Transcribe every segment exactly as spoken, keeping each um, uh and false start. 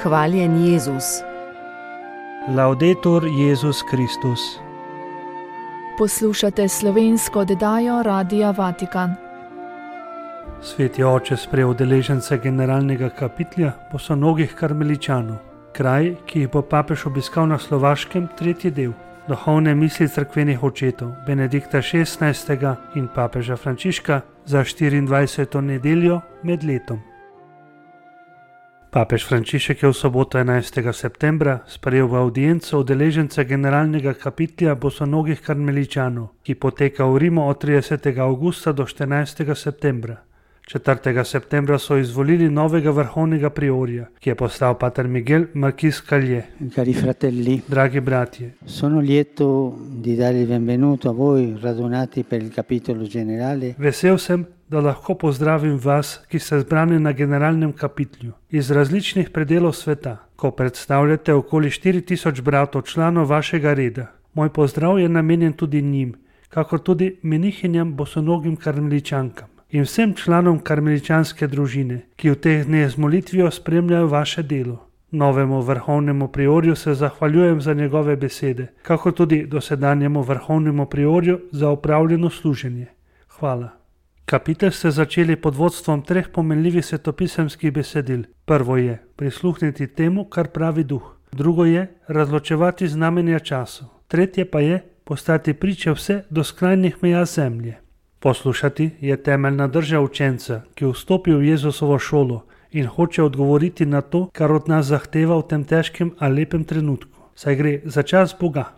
Hvaljen Jezus. Laudetur Jezus Kristus. Poslušate slovensko oddajo Radia Vatikan. Sveti oče sprejel udeležence generalnega kapitlja bosonogih karmeličanov, kraj, ki jih bo papež obiskal na Slovaškem, tretji del. Duhovne misli cerkvenih očetov Benedikta šestnajstega in papeža Frančiška za štiriindvajseto nedeljo med letom. Papež Frančišek je v soboto enajstega septembra sprejel v avdienco udeležence generalnega kapitlja bosonogih karmeličanov, ki poteka v Rimu od tridesetega avgusta do štirinajstega septembra. četrtega septembra so izvolili novega vrhovnega priorja, ki je postal pater Miguel Marquis Callié. Cari fratelli, Dragi bratje, sono lieto di dare il benvenuto a voi radunati per il capitolo generale. Vesel sem, da lahko pozdravim vas, ki ste zbrani na generalnem kapitlju iz različnih predelov sveta, ko predstavljate okoli štiri tisoč bratov članov vašega reda. Moj pozdrav je namenjen tudi njim, kakor tudi menihinjam bosonogim karmeličankam in vsem članom karmeličanske družine, ki v teh dneh z molitvijo spremljajo vaše delo. Novemu vrhovnemu priorju se zahvaljujem za njegove besede, kakor tudi dosedanjemu vrhovnemu priorju za opravljeno služenje. Hvala. Kapitel ste začeli pod vodstvom treh pomenljivih svetopisemskih besedil. Prvo je prisluhniti temu, kar pravi duh. Drugo je razločevati znamenja časov. Tretje pa je postati priče vse do skrajnih meja zemlje. Poslušati je temeljna drža učenca, ki vstopi v Jezusovo šolo in hoče odgovoriti na to, kar od nas zahteva v tem težkem a lepem trenutku. Saj gre za čas Boga.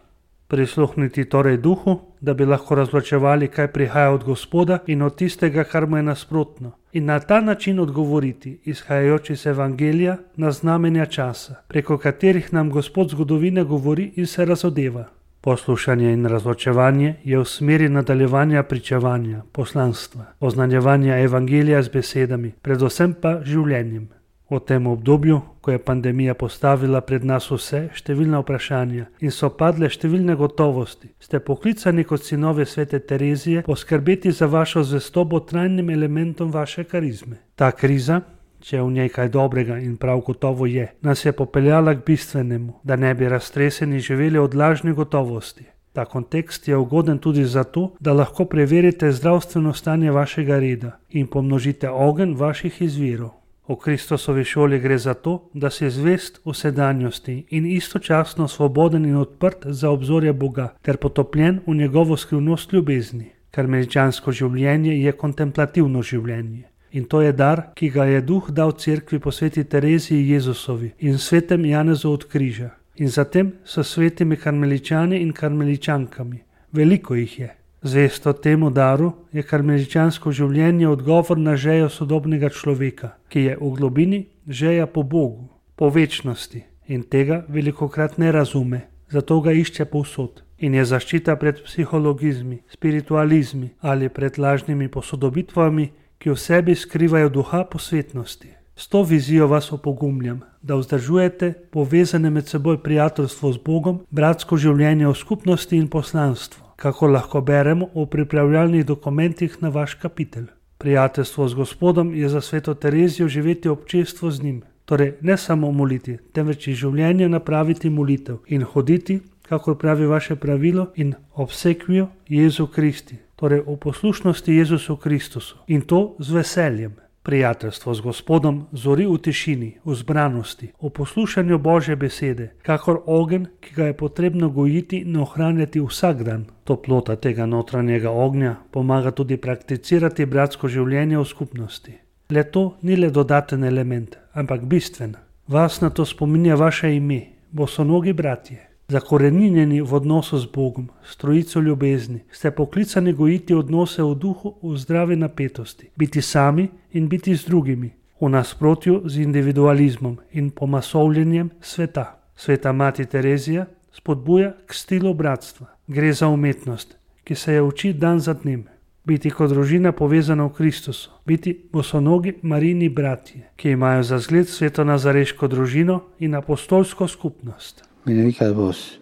Prisluhniti torej duhu, da bi lahko razločevali, kaj prihaja od Gospoda in od tistega, kar mu je nasprotno. In na ta način odgovoriti, izhajajoč iz Evangelija, na znamenja časa, preko katerih nam Gospod zgodovine govori in se razodeva. Poslušanje in razločevanje je v smeri nadaljevanja pričevanja, poslanstva, oznanjevanja Evangelija z besedami, predvsem pa življenjem. V tem obdobju, ko je pandemija postavila pred nas vse številna vprašanja in so padle številne gotovosti, ste poklicani kot sinovi svete Terezije poskrbeti za vašo zvestobo trajnim elementom vaše karizme. Ta kriza, če je v njej kaj dobrega in prav gotovo je, nas je popeljala k bistvenemu, da ne bi raztreseni živeli od lažnih gotovosti. Ta kontekst je ugoden tudi zato, da lahko preverite zdravstveno stanje vašega reda in pomnožite ogenj vaših izvirov. V Kristusovi šoli gre za to, da si zvest v sedanjosti in istočasno svoboden in odprt za obzorje Boga ter potopljen v njegovo skrivnost ljubezni. Karmeličansko življenje je kontemplativno življenje. In to je dar, ki ga je duh dal cerkvi po sveti Tereziji Jezusovi in svetem Janezu od križa. In zatem so svetimi karmeličani in karmeličankami. Veliko jih je. Zvesto temu daru je karmeličansko življenje odgovor na žejo sodobnega človeka, ki je v globini žeja po Bogu, po večnosti in tega velikokrat ne razume, zato ga išče povsod. In je zaščita pred psihologizmi, spiritualizmi ali pred lažnimi posodobitvami, ki v sebi skrivajo duha posvetnosti. S to vizijo vas opogumljam, da vzdržujete povezane med seboj prijateljstvo z Bogom, bratsko življenje v skupnosti in poslanstvo, kako lahko beremo v pripravljalnih dokumentih na vaš kapitel. Prijateljstvo z Gospodom je za sveto Terezijo živeti občestvo z njim, torej ne samo moliti, temveč iz življenja napraviti molitev in hoditi, kakor pravi vaše pravilo, in obsekvijo Jezu Kristi, torej v poslušnosti Jezusu Kristusu, in to z veseljem. Prijateljstvo z Gospodom zori v tišini, v zbranosti, v poslušanju Božje besede, kakor ogenj, ki ga je potrebno gojiti in ohranjati vsak dan. Toplota tega notranjega ognja pomaga tudi prakticirati bratsko življenje v skupnosti. Le to ni le dodaten element, ampak bistven. Vas na to spominja vaše ime, bosonogi bratje. Zakoreninjeni v odnosu z Bogom, s trojico ljubezni, ste poklicani gojiti odnose v duhu v zdravi napetosti, biti sami in biti z drugimi, v nasprotju z individualizmom in pomasovljenjem sveta. Sveta mati Terezija spodbuja k stilu bratstva. Gre za umetnost, ki se je uči dan za dnem. Biti kot družina povezana v Kristusu, biti bosonogi Marijini bratje, ki imajo za zgled sveto nazareško družino in apostolsko skupnost. Benedicat vos,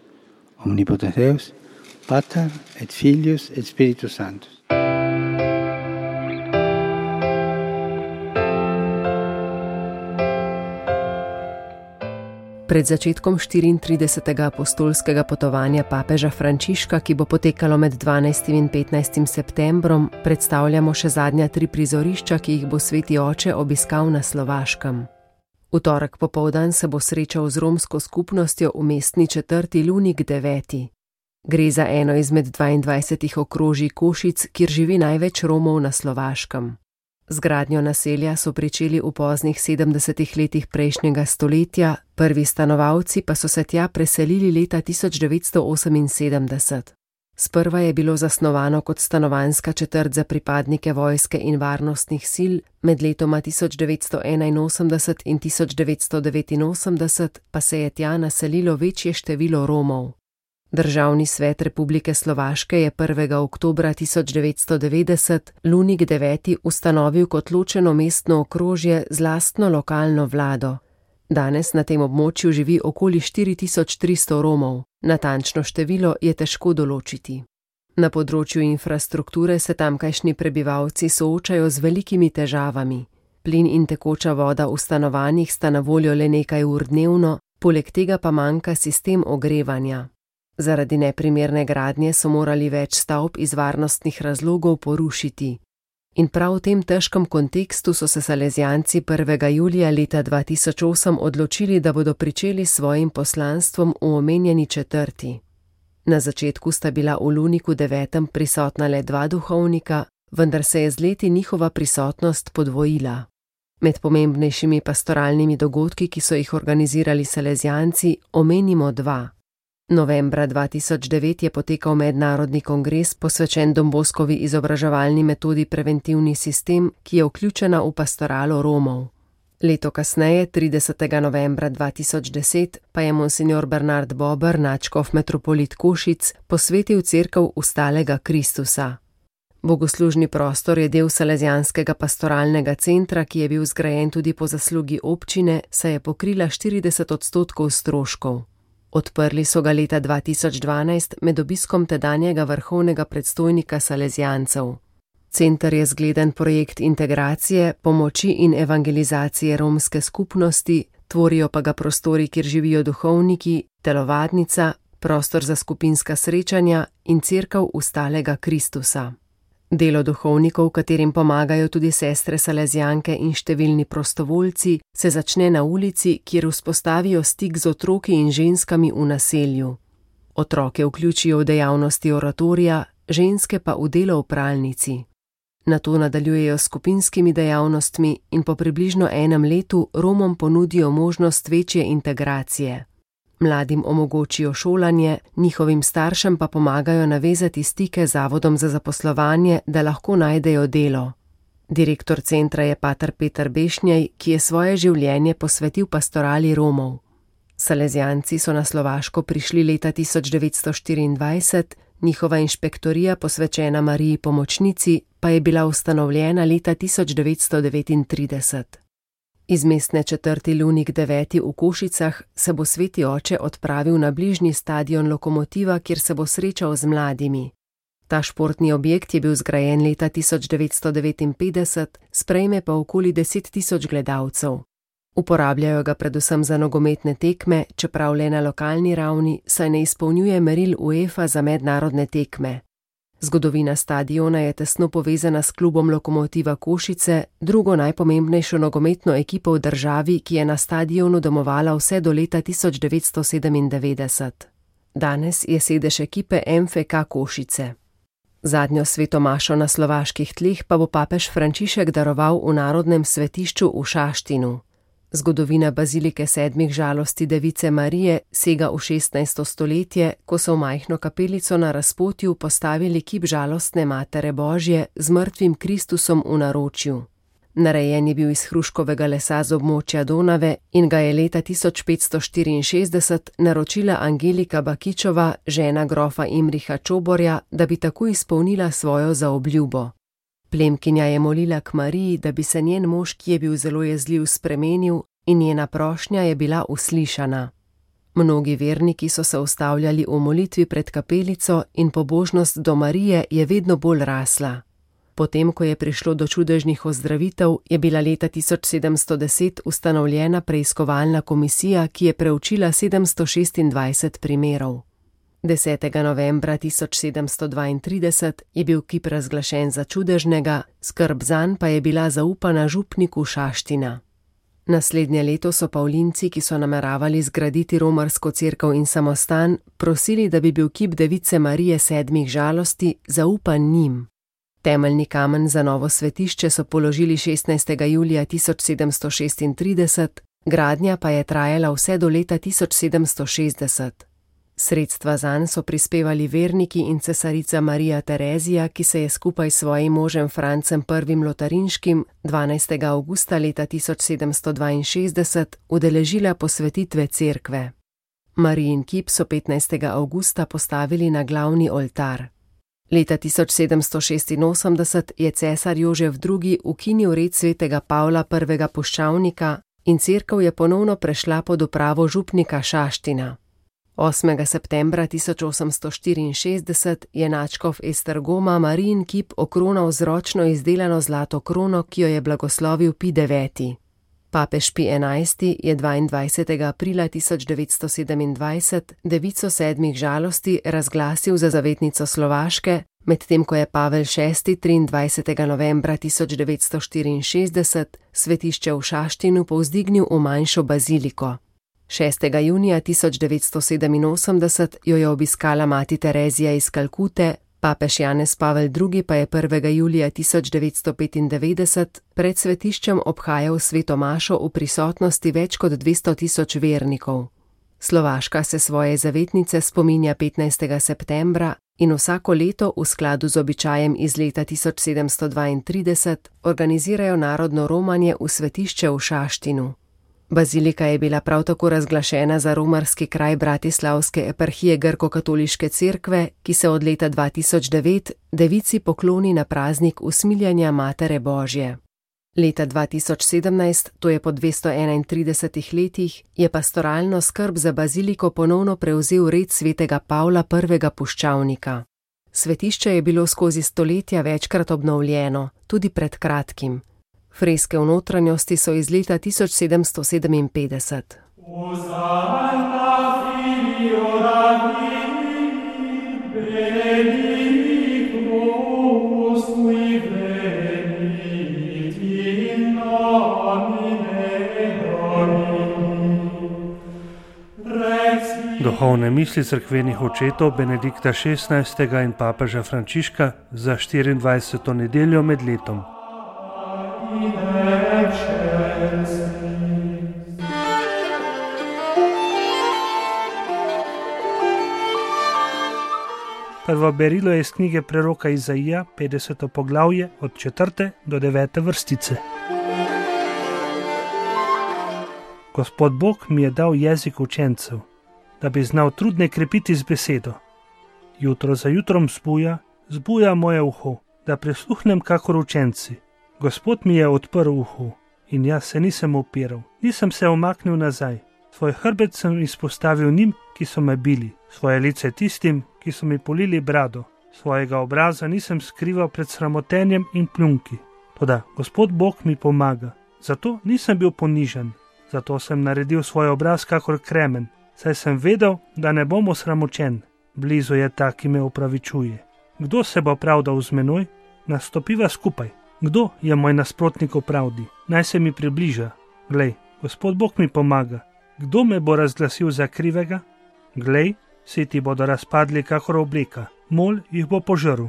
omnipotens Deus, Pater et Filius et Spiritus Sanctus. Pred začetkom štiriintridesetega apostolskega potovanja papeža Frančiška, ki bo potekalo med dvanajstim in petnajstim septembrom, predstavljamo še zadnja tri prizorišča, ki jih bo sveti oče obiskal na Slovaškem. V torek popoldan se bo srečal z romsko skupnostjo v mestni četrti Lunik deveti. Gre za eno izmed dvaindvajsetih okrožij Košic, kjer živi največ Romov na Slovaškem. Z gradnjo naselja so pričeli v poznih sedemdesetih letih prejšnjega stoletja, prvi stanovalci pa so se tja preselili leta tisoč devetsto oseminsedemdeset. Sprva je bilo zasnovano kot stanovanjska četrt za pripadnike vojske in varnostnih sil, med letoma tisoč devetsto enainosemdeset in tisoč devetsto devetinosemdeset pa se je tja naselilo večje število Romov. Državni svet Republike Slovaške je prvega oktobra tisoč devetsto devetdeset Lunik deveti ustanovil kot ločeno mestno okrožje z lastno lokalno vlado. Danes na tem območju živi okoli štiri tisoč tristo Romov, natančno število je težko določiti. Na področju infrastrukture se tamkajšnji prebivalci soočajo z velikimi težavami. Plin in tekoča voda v stanovanjih sta na voljo le nekaj ur dnevno, poleg tega pa manjka sistem ogrevanja. Zaradi neprimerne gradnje so morali več stavb iz varnostnih razlogov porušiti. In prav v tem težkem kontekstu so se Salezijanci prvega julija leta dva tisoč osem odločili, da bodo pričeli s svojim poslanstvom v omenjeni četrti. Na začetku sta bila v Luniku devetem prisotna le dva duhovnika, vendar se je z leti njihova prisotnost podvojila. Med pomembnejšimi pastoralnimi dogodki, ki so jih organizirali Salezijanci, omenimo dva. Novembra dva tisoč devet je potekal mednarodni kongres posvečen Don Boskovi izobraževalni metodi Preventivni sistem, ki je vključena v pastoralo Romov. Leto kasneje, tridesetega novembra dva tisoč deset, pa je monsignor Bernard Bober, nadškof metropolit Košic, posvetil cerkev Vstalega Kristusa. Bogoslužni prostor je del Salezijanskega pastoralnega centra, ki je bil zgrajen tudi po zaslugi občine, saj je pokrila štirideset odstotkov stroškov. Odprli so ga leta dva tisoč dvanajst med obiskom tedanjega vrhovnega predstojnika Salezijancev. Center je zgleden projekt integracije, pomoči in evangelizacije romske skupnosti, tvorijo pa ga prostori, kjer živijo duhovniki, telovadnica, prostor za skupinska srečanja in cerkev Vstalega Kristusa. Delo duhovnikov, katerim pomagajo tudi sestre Salezijanke in številni prostovoljci, se začne na ulici, kjer vzpostavijo stik z otroki in ženskami v naselju. Otroke vključijo v dejavnosti oratorija, ženske pa v delo v pralnici. Nato nadaljujejo s skupinskimi dejavnostmi in po približno enem letu Romom ponudijo možnost večje integracije. Mladim omogočijo šolanje, njihovim staršem pa pomagajo navezati stike z Zavodom za zaposlovanje, da lahko najdejo delo. Direktor centra je pater Peter Bešnjej, ki je svoje življenje posvetil pastorali Romov. Salezijanci so na Slovaško prišli leta tisoč devetsto štiriindvajset, njihova inšpektorija posvečena Mariji Pomočnici pa je bila ustanovljena leta tisoč devetsto devetintrideset. Iz mestne četrti Lunik deveti v Košicah se bo sveti oče odpravil na bližnji stadion Lokomotiva, kjer se bo srečal z mladimi. Ta športni objekt je bil zgrajen leta tisoč devetsto devetinpetdeset, sprejme pa okoli deset tisoč gledalcev. Uporabljajo ga predvsem za nogometne tekme, čeprav le na lokalni ravni, saj ne izpolnjuje meril UEFA za mednarodne tekme. Zgodovina stadiona je tesno povezana s klubom Lokomotiva Košice, drugo najpomembnejšo nogometno ekipo v državi, ki je na stadionu domovala vse do leta tisoč devetsto sedemindevetdeset. Danes je sedež ekipe M F K Košice. Zadnjo sveto mašo na slovaških tleh pa bo papež Frančišek daroval v narodnem svetišču v Šaštinu. Zgodovina bazilike sedmih žalosti Device Marije sega v šestnajsto stoletje, ko so v majhno kapelico na razpotju postavili kip žalostne Matere Božje z mrtvim Kristusom v naročju. Narejen je bil iz hruškovega lesa z območja Donave in ga je leta tisoč petsto štiriinšestdeset naročila Angelika Bakičova, žena grofa Imriha Čoborja, da bi tako izpolnila svojo zaobljubo. Plemkinja je molila k Mariji, da bi se njen mož, ki je bil zelo jezljiv, spremenil, in njena prošnja je bila uslišana. Mnogi verniki so se ustavljali v molitvi pred kapelico in pobožnost do Marije je vedno bolj rasla. Potem, ko je prišlo do čudežnih ozdravitev, je bila leta tisoč sedemsto deset ustanovljena preiskovalna komisija, ki je preučila sedemsto šestindvajset primerov. desetega novembra tisoč sedemsto dvaintrideset je bil kip razglašen za čudežnega, skrb zanj pa je bila zaupana župniku Šaština. Naslednje leto so Pavlinci, ki so nameravali zgraditi romarsko cerkev in samostan, prosili, da bi bil kip device Marije sedmih žalosti zaupan njim. Temeljni kamen za novo svetišče so položili šestnajstega julija tisoč sedemsto šestintrideset, gradnja pa je trajala vse do leta tisoč sedemsto šestdeset. Sredstva zanj so prispevali verniki in cesarica Marija Terezija, ki se je skupaj s svojim možem Francem prvim Lotarinškim dvanajstega avgusta leta tisoč sedemsto dvainšestdeset udeležila posvetitve cerkve. Marijin kip so petnajstega avgusta postavili na glavni oltar. Leta tisoč sedemsto šestinosemdeset je cesar Jožef drugi ukinil red svetega Pavla prvega puščavnika in cerkev je ponovno prešla pod upravo župnika Šaština. osmega septembra tisoč osemsto štiriinšestdeset je nadškof Esztergoma Marijin kip okronal z ročno izdelano zlato krono, ki jo je blagoslovil Pij deveti. Papež Pij enajsti je dvaindvajsetega aprila tisoč devetsto sedemindvajset devico sedmih žalosti razglasil za zavetnico Slovaške, medtem ko je Pavel šesti triindvajsetega novembra tisoč devetsto štiriinšestdeset svetišče v Šaštinu povzdignil v manjšo baziliko. šestega junija tisoč devetsto sedeminosemdeset jo je obiskala mati Terezija iz Kalkute, papež Janez Pavel drugi pa je prvega julija tisoč devetsto petindevetdeset pred svetiščem obhajal sveto mašo v prisotnosti več kot dvesto tisoč vernikov. Slovaška se svoje zavetnice spominja petnajstega septembra in vsako leto v skladu z običajem iz leta tisoč sedemsto dvaintrideset organizirajo narodno romanje v svetišče v Šaštinu. Bazilika je bila prav tako razglašena za romarski kraj Bratislavske eparhije Grko-katoliške cerkve, ki se od leta dva tisoč devet devici pokloni na praznik usmiljanja Matere Božje. Leta dva tisoč sedemnajst, to je po dvesto enaintridesetih letih, je pastoralno skrb za baziliko ponovno prevzel red svetega Pavla prvega puščavnika. Svetišče je bilo skozi stoletja večkrat obnovljeno, tudi pred kratkim. Freske v notranjosti so iz leta tisoč sedemsto sedeminpetdeset. Duhovne misli cerkvenih očetov Benedikta šestnajstega in papeža Frančiška za štiriindvajseto nedeljo med letom. Prvo berilo je iz knjige preroka Izaija, petdeseto poglavje, od četrte do devete vrstice. Gospod Bog mi je dal jezik učencev, da bi znal trudne krepiti z besedo. Jutro za jutrom zbuja, zbuja moje uho, da prisluhnem kakor učenci. Gospod mi je odprl uho in jaz se nisem upiral, nisem se umaknil nazaj. Svoj hrbet sem izpostavil njim, ki so me bili, svoje lice tistim, ki so mi polili brado. Svojega obraza nisem skrival pred sramotenjem in pljunki. Toda Gospod Bog mi pomaga, zato nisem bil ponižen, zato sem naredil svoj obraz kakor kremen, saj sem vedel, da ne bom osramočen. Blizu je ta, ki me opravičuje. Kdo se bo pravdal z menoj? Nastopiva skupaj. Kdo je moj nasprotnik v pravdi? Naj se mi približa. Glej, Gospod Bog mi pomaga. Kdo me bo razglasil za krivega? Glej, vsi ti bodo razpadli kakor obleka, mol jih bo požrl.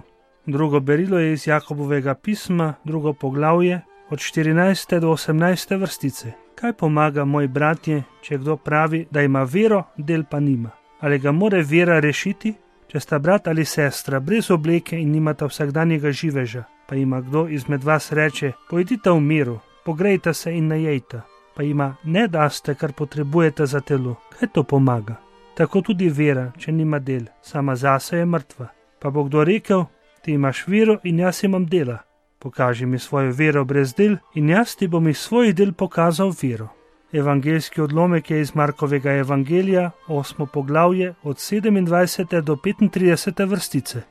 Drugo berilo je iz Jakobovega pisma, drugo poglavje, od štirinajste do osemnajste vrstice. Kaj pomaga, moj bratje, če kdo pravi, da ima vero, del pa nima? Ali ga more vera rešiti? Če sta brat ali sestra brez obleke in nimata vsakdanjega živeža, pa ima kdo izmed vas reče, pojdite v miru, pogrejte se in najejte, pa ima ne daste, kar potrebujete za telo. Kaj to pomaga? Tako tudi vera, če nima del, sama zase je mrtva. Pa bo kdo rekel, ti imaš vero in jaz imam dela. Pokaži mi svojo vero brez del in jaz ti bom iz svojih del pokazal vero. Evangeljski odlomek je iz Markovega evangelija, osmo poglavje, od sedemindvajsete do petintridesete vrstice.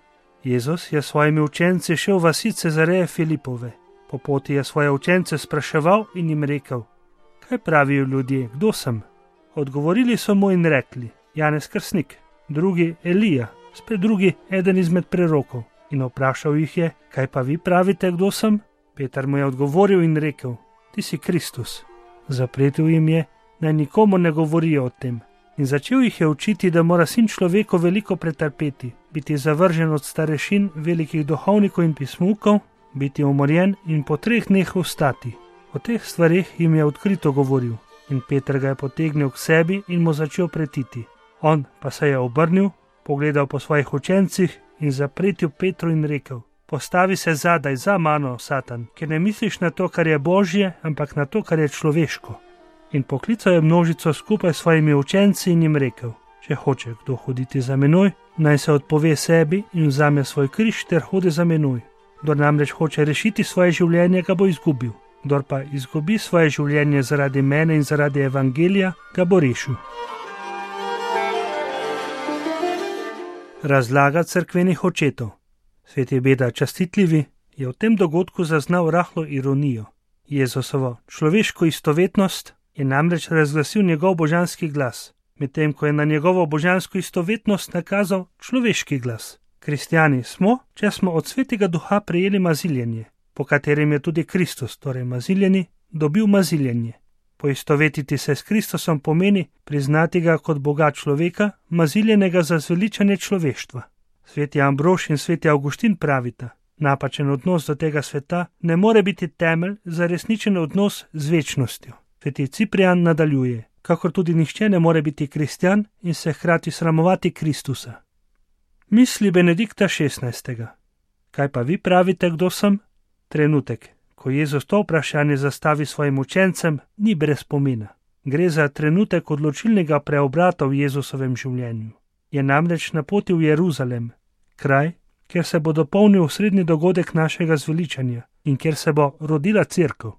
Jezus je s svojimi učenci šel v vasi Cezareje Filipove. Po poti je svoje učence spraševal in jim rekel: Kaj pravijo ljudje, kdo sem? Odgovorili so mu in rekli: Janez Krstnik, drugi Elija, spet drugi eden izmed prerokov. In vprašal jih je: Kaj pa vi pravite, kdo sem? Peter mu je odgovoril in rekel: Ti si Kristus. Zapletel jim je, naj nikomu ne govorijo o tem. In začel jih je učiti, da mora sin človeku veliko pretrpeti, biti zavržen od starešin, velikih duhovnikov in pismukov, biti umorjen in po treh dneh vstati. O teh stvareh jim je odkrito govoril. In Peter ga je potegnil k sebi in mu začel pretiti. On pa se je obrnil, pogledal po svojih učencih in zapretil Petru in rekel: Postavi se zadaj za mano, Satan, ker ne misliš na to, kar je božje, ampak na to, kar je človeško. In poklical je množico skupaj s svojimi učenci in jim rekel: Če hoče kdo hoditi za menoj, naj se odpove sebi in vzame svoj križ ter hodi za menoj. Kdor namreč hoče rešiti svoje življenje, ga bo izgubil. Kdor pa izgubi svoje življenje zaradi mene in zaradi evangelija, ga bo rešil. Razlaga cerkvenih očetov. Sveti Beda Častitljivi je v tem dogodku zaznal rahlo ironijo. Jezusovo človeško istovetnost je namreč razglasil njegov božanski glas, medtem ko je na njegovo božansko istovetnost nakazal človeški glas. Kristjani smo, če smo od Svetega Duha prejeli maziljenje, po katerem je tudi Kristus, torej maziljeni, dobil maziljenje. Poistovetiti se s Kristusom pomeni priznati ga kot Boga človeka, maziljenega za zveličanje človeštva. Sveti Ambrož in sveti Avguštin pravita: Napačen odnos do tega sveta ne more biti temelj za resničen odnos z večnostjo. Sveti Ciprijan nadaljuje: Kakor tudi nihče ne more biti kristjan in se hkrati sramovati Kristusa. Misli Benedikta šestnajstega. Kaj pa vi pravite, kdo sem? Trenutek, ko Jezus to vprašanje zastavi svojim učencem, ni brez pomena. Gre za trenutek odločilnega preobrata v Jezusovem življenju. Je namreč na poti v Jeruzalem, kraj, kjer se bo dopolnil osrednji dogodek našega zveličanja in kjer se bo rodila cerkev.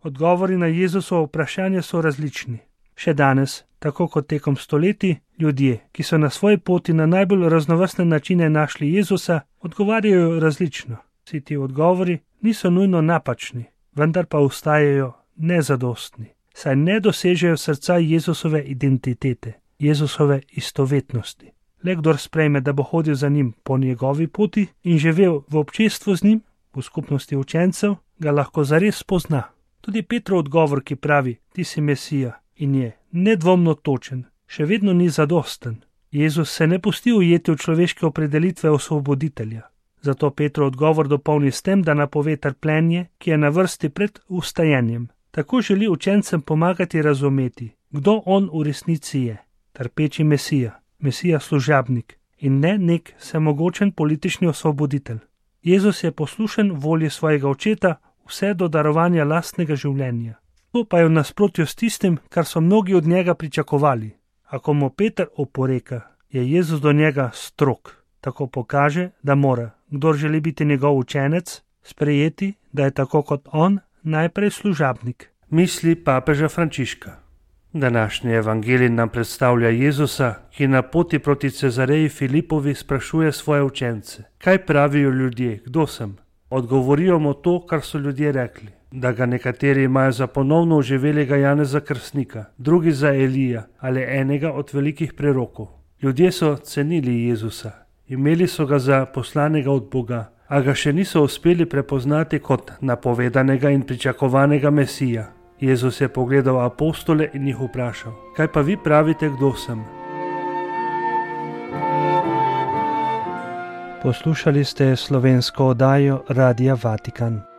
Odgovori na Jezusovo vprašanje so različni. Še danes, tako kot tekom stoletij, ljudje, ki so na svoji poti na najbolj raznovrstne načine našli Jezusa, odgovarjajo različno. Vsi ti odgovori niso nujno napačni, vendar pa ostajajo nezadostni, saj ne dosežejo srca Jezusove identitete, Jezusove istovetnosti. Le kdor sprejme, da bo hodil za njim po njegovi poti in živel v občestvu z njim, v skupnosti učencev, ga lahko zares spozna. Tudi Petrov odgovor, ki pravi: Ti si Mesija, in je nedvomno točen, še vedno ni zadosten. Jezus se ne pusti ujeti v človeške opredelitve osvoboditelja. Zato Petrov odgovor dopolni s tem, da napove trpljenje, ki je na vrsti pred vstajenjem. Tako želi učencem pomagati razumeti, kdo on v resnici je. Trpeči Mesija, Mesija služabnik in ne nek vsemogočen politični osvoboditelj. Jezus je poslušen volji svojega očeta vse do darovanja lastnega življenja. To pa je v nasprotju s tistim, kar so mnogi od njega pričakovali. Ako mu Peter oporeka, je Jezus do njega strog. Tako pokaže, da mora, kdor želi biti njegov učenec, sprejeti, da je tako kot on najprej služabnik. Misli papeža Frančiška. Današnji evangelij nam predstavlja Jezusa, ki na poti proti Cezareji Filipovi sprašuje svoje učence: Kaj pravijo ljudje, kdo sem? Odgovorijo mu to, kar so ljudje rekli, da ga nekateri imajo za ponovno oživelega Janeza Krstnika, drugi za Elija ali enega od velikih prerokov. Ljudje so cenili Jezusa, imeli so ga za poslanega od Boga, a ga še niso uspeli prepoznati kot napovedanega in pričakovanega Mesija. Jezus je pogledal apostole in jih vprašal: Kaj pa vi pravite, kdo sem? Poslušali ste slovensko oddajo Radia Vatikan.